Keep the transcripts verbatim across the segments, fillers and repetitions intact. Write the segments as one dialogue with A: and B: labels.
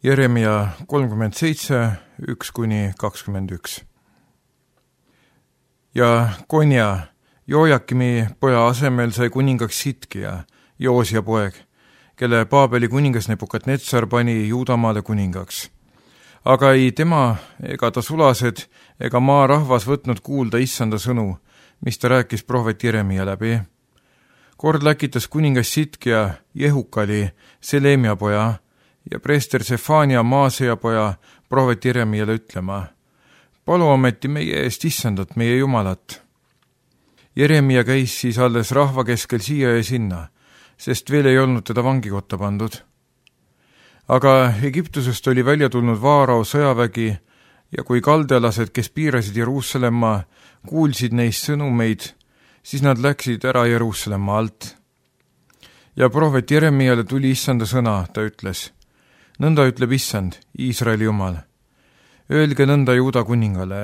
A: Jeremia kolmkümmend seitse, üks kuni kakskümmend üks. Ja Konja, Jojakimi poja asemel sai kuningaks Sitkia, Joosia poeg, kelle Paabeli kuningas Nebukadnetsar pani Juudamaale kuningaks. Aga ei tema ega ta sulased ega maa rahvas võtnud kuulda issanda sõnu, mis ta rääkis prohvet Jeremia läbi. Kord läkitas kuningas Sitkia Jehukali, Selemia poja, ja preester Sefania Maaseja poja prohvet Jeremiale ütlema: palu ometi meie eest issandat, meie jumalat. Jeremia käis siis alles rahva keskel siia ja sinna, sest veel ei olnud teda vangikotta pandud. Aga Egiptusest oli välja tulnud Vaarao sõjavägi ja kui kaldealased, kes piirasid Jeruusalemma, kuulsid neist sõnumeid, siis nad läksid ära Jeruusalemma alt. Ja prohvet Jeremiale tuli issanda sõna, ta ütles: nõnda ütleb issand, Iisraeli jumal. Öelge nõnda Juuda kuningale,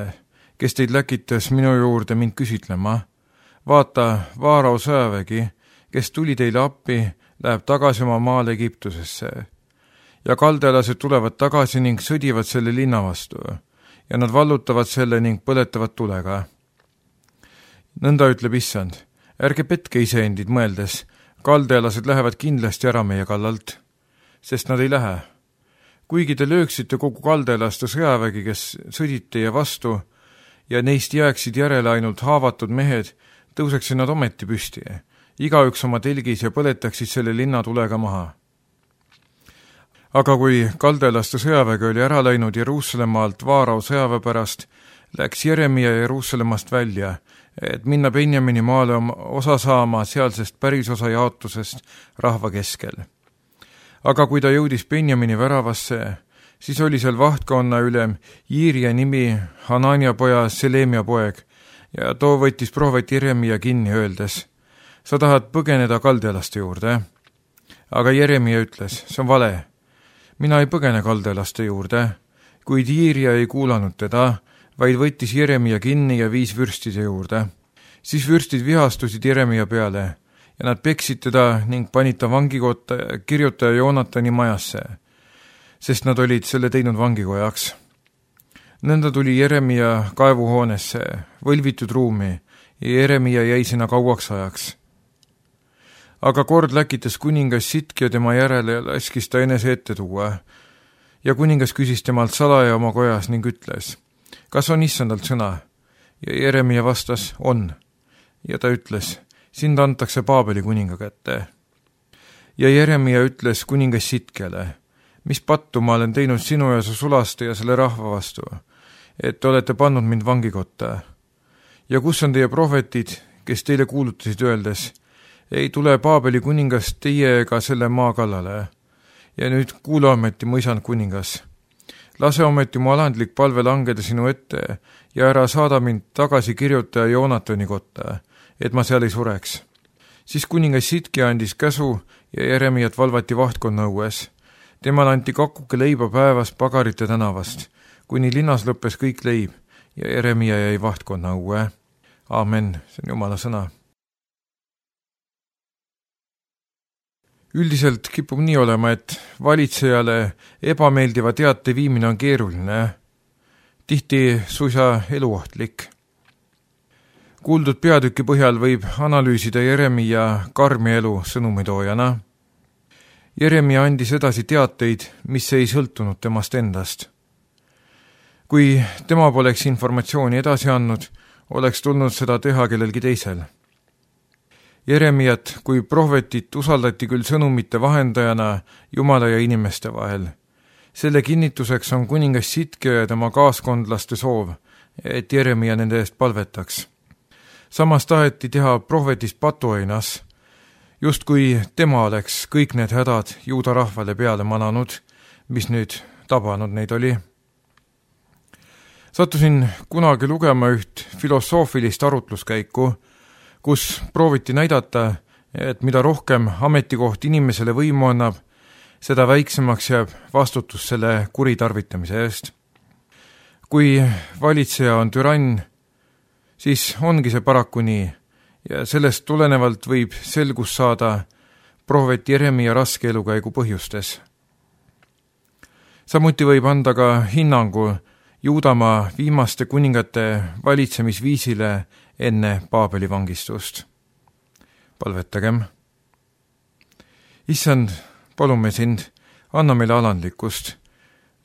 A: kes teid läkitas minu juurde mind küsitlema. Vaata, Vaarao sõjavägi, kes tuli teile appi, läheb tagasi oma maale Egiptusesse. Ja kaldealased tulevad tagasi ning sõdivad selle linna vastu ja nad vallutavad selle ning põletavad tulega. Nõnda ütleb issand, ärge petke iseendid mõeldes, kaldealased lähevad kindlasti ära meie kallalt, sest nad ei lähe. Kuigi te lööksite kogu kaldealaste sõjavägi, kes sõdid teie vastu, ja neist jääksid järele ainult haavatud mehed, tõuseksid nad ometi püsti, igaüks oma telgis ja põletaksid selle linna tulega maha. Aga kui kaldealaste sõjavägi oli ära läinud Jeruusalemma alt Vaarao sõjaväe pärast, läks Jeremia Jeruusalemmast välja, et minna Benjamini maale osa saama sealsest pärisosa jaotusest rahva keskel. Aga kui ta jõudis Benjamini väravasse, siis oli seal vahtkonna ülem Jiirja nimi Hanania poja Selemia poeg ja too võttis prohvet Jeremia kinni öeldes: sa tahad põgeneda kaldealaste juurde? Aga Jeremia ütles: see on vale. Mina ei põgene kaldealaste juurde, kuid Jiirja ei kuulanud teda, vaid võttis Jeremia kinni ja viis vürstide juurde. Siis vürstid vihastusid Jeremia peale ja nad peksid teda ning panid ta vangikotta kirjutaja Joonatani majasse, sest nad olid selle teinud vangikojaks. Nõnda tuli Jeremia kaevuhoonesse, võlvitud ruumi, ja Jeremia jäi sinna kauaks ajaks. Aga kord läkitas kuningas Sitkia tema järele ja laskis ta enese ette tuua. Ja kuningas küsis temalt salaja oma kojas ning ütles: kas on issandalt sõna? Ja Jeremia vastas: on. Ja ta ütles: sind antakse Paabeli kuninga kätte. Ja Jeremia ütles kuningas Sitkiale: mis pattu ma olen teinud sinu ja su sulaste ja selle rahva vastu, et te olete pannud mind vangikotta? Ja kus on teie prohvetid, kes teile kuulutasid öeldes: ei tule Paabeli kuningas teie ega selle maa kallale? Ja nüüd kuula ometi, mu isand kuningas. Lase ometi mu alandlik palve langeda sinu ette ja ära saada mind tagasi kirjutaja Joonatani kotta, et ma seal ei sureks. Siis kuningas Sitkia andis käsu ja Jeremiat valvati vahtkonna õues. Temale anti kakuke leiba päevas Pagarite tänavast, kuni linnas lõppes kõik leib ja Jeremia jäi vahtkonna õue. Aamen, see on Jumala sõna. Üldiselt kipub nii olema, et valitsejale ebameeldiva teate viimine on keeruline, tihti suisa eluohtlik. Kuuldud peatüki põhjal võib analüüsida Jeremia karmi elu sõnumitoojana. Jeremia andis edasi teateid, mis ei sõltunud temast endast. Kui tema poleks informatsiooni edasi andnud, oleks tulnud seda teha kellelgi teisel. Jeremiat kui prohvetit usaldati küll sõnumite vahendajana Jumala ja inimeste vahel. Selle kinnituseks on kuningas Sitkia ja tema kaaskondlaste soov, et Jeremia nende eest palvetaks. Samas taheti teha prohvetist patuainas, just kui tema oleks kõik need hädad Juuda rahvale peale mananud, mis nüüd tabanud neid oli. Sattusin kunagi lugema üht filosoofilist arutluskäiku, kus prooviti näidata, et mida rohkem ametikoht inimesele võimu annab, seda väiksemaks jääb vastutus selle kuritarvitamise eest. Kui valitseja on türann, siis ongi see paraku nii ja sellest tulenevalt võib selgus saada prohvet Jeremia raske elukäigu põhjustes. samuti võib anda ka hinnangu Juudamaa viimaste kuningate valitsemisviisile enne Paabeli vangistust. Palvetagem. Issand, palume sind, anna meile alandlikkust,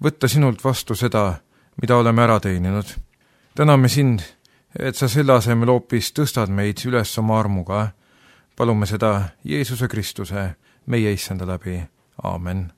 A: võtta sinult vastu seda, mida oleme ära teeninud. Täname sind, et sa selle asemel hoopis tõstad meid üles oma armuga. Palume seda Jeesuse Kristuse, meie issanda läbi. Aamen.